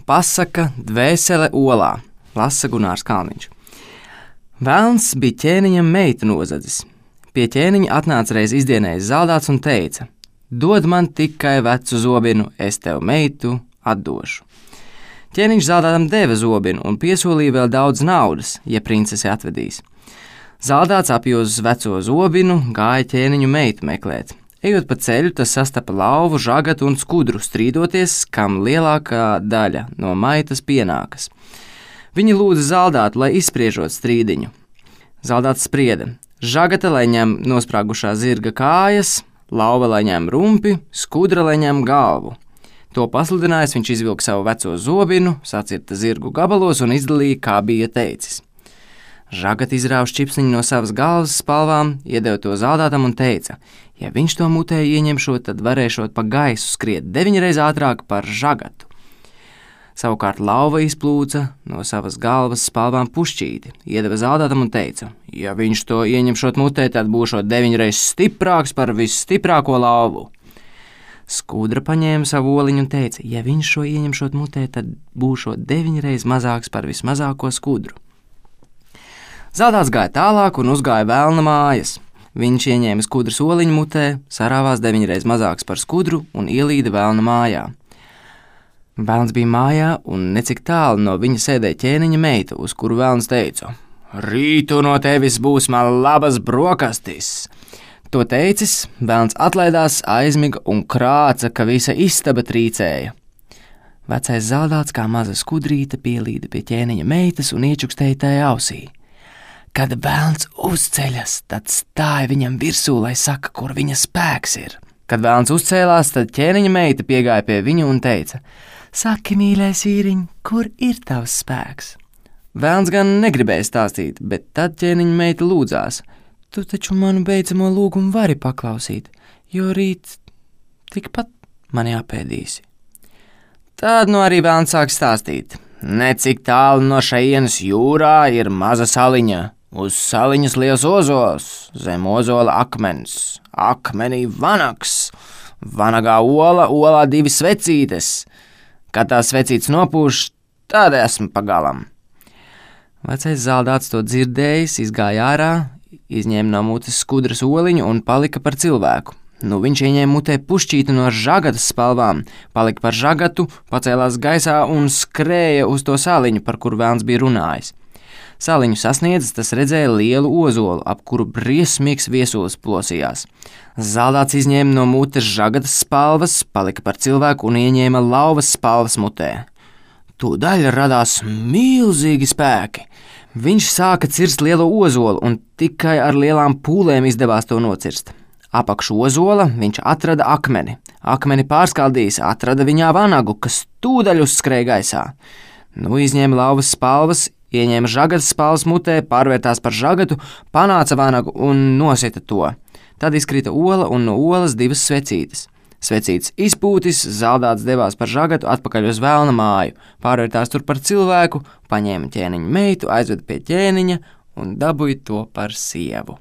Pasaka Dvēsele olā, lasa Gunārs Kalniņš. Velns bija ķēniņam meitu nozadzis. Pie ķēniņa atnāca reiz izdienējis zaldāts un teica: dod man tikai vecu zobinu, es tev meitu atdošu. Ķēniņš zaldātam deva zobinu un piesolīja vēl daudz naudas, ja princesi atvedīs. Zaldāts apjūzis veco zobinu, gāja ķēniņu meitu meklēt. Ejot pa ceļu, tas sastapa lauvu, žagatu un skudru, strīdoties, kam lielākā daļa no maitas pienākas. Viņi lūdza zaldātu, lai izspriežot strīdiņu. Zaldāts sprieda: žagata, lai ņem nosprāgušā zirga kājas, lauva, lai ņem rumpi, skudra, lai ņem galvu. To pasludinājis, viņš izvilka savu veco zobinu, sacirta zirgu gabalos un izdalīja, kā bija teicis. Žagata izrāva čipsniņu no savas galvas spalvām, iedeva to zaldātam un teica: ja viņš to mutē ieņemšot, tad varēšot pa gaisu skriet 9 reizes ātrāk par žagatu. Savukārt lauva izplūca no savas galvas spalvām pušķīti, iedeva zaldātam un teica: ja viņš to ieņemšot mutē, tad būšot 9 reizes stiprāks par visstiprāko lauvu. Skudra paņēma savu oliņu un teica: ja viņš šo ieņemšot mutē, tad būšot 9 reizes mazāks par vismazāko skudru. Zaldāts gāja tālāk un uzgāja velna mājas. Viņš ieņēma skudras oliņu mutē, sarāvās 9 reizes mazāks par skudru un ielīda velna mājā. Velns bija mājā un necik tālu no viņa sēdēja ķēniņa meita, uz kuru velns teica: rītu no tevis būs man labas brokastis. To teicis, velns atlaidās, aizmiga un krāca, ka visa istaba trīcēja. Vecais zaldāts kā maza skudrīte pielīda pie ķēniņa meitas un iečukstēja tajā ausī. Kad velns uzceļas, tad stāja viņam virsū, lai saka, kur viņa spēks ir. Kad velns uzcēlās, tad ķēniņa meita piegāja pie viņu un teica: saki, mīļais vīriņ, kur ir tavs spēks? Velns gan negribēja stāstīt, bet tad ķēniņa meita lūdzās: tu taču manu beidzamo lūgumu vari paklausīt, jo rīt tikpat mani apēdīsi. Tad arī velns sāk stāstīt: necik tālu no šejienes jūrā ir maza saliņa. Uz saliņas liels ozols, zem ozola akmens, akmenī vanags, vanagā ola, olā 2 svecītes. Kad tās svecītes nopūš, tad esmu pagalam. Vecais zaldāts to dzirdējis, izgāja ārā, izņēma no mutes skudras oliņu un palika par cilvēku. Viņš ieņēma mutē pušķīti no žagatas spalvām, palika par žagatu, pacēlās gaisā un skrēja uz to saliņu, par kuru velns bija runājis. Saliņu sasniedzis, tas redzēja lielu ozolu, ap kuru briesmīgs viesulis plosījās. Zaldāts izņēma no mutes žagatas spalvas, palika par cilvēku un ieņēma lauvas spalvas mutē. Tūdaļ radās milzīgi spēki. Viņš sāka cirst lielo ozolu un tikai ar lielām pūlēm izdevās to nocirst. Apakš ozola viņš atrada akmeni. Akmeni pārskaldījis, atrada viņā vanagu, kas tūdaļ uzskrēja gaisā. Izņēma lauvas spalvas, ieņēma žagatas spalvas mutē, pārvērtās par žagatu, panāca vanagu un nosita to. Tad izkrita ola un no olas 2 svecītes. Svecītes izpūtis, zaldāts devās par žagatu atpakaļ uz velna māju, pārvērtās tur par cilvēku, paņēma ķēniņa meitu, aizveda pie ķēniņa un dabūja to par sievu.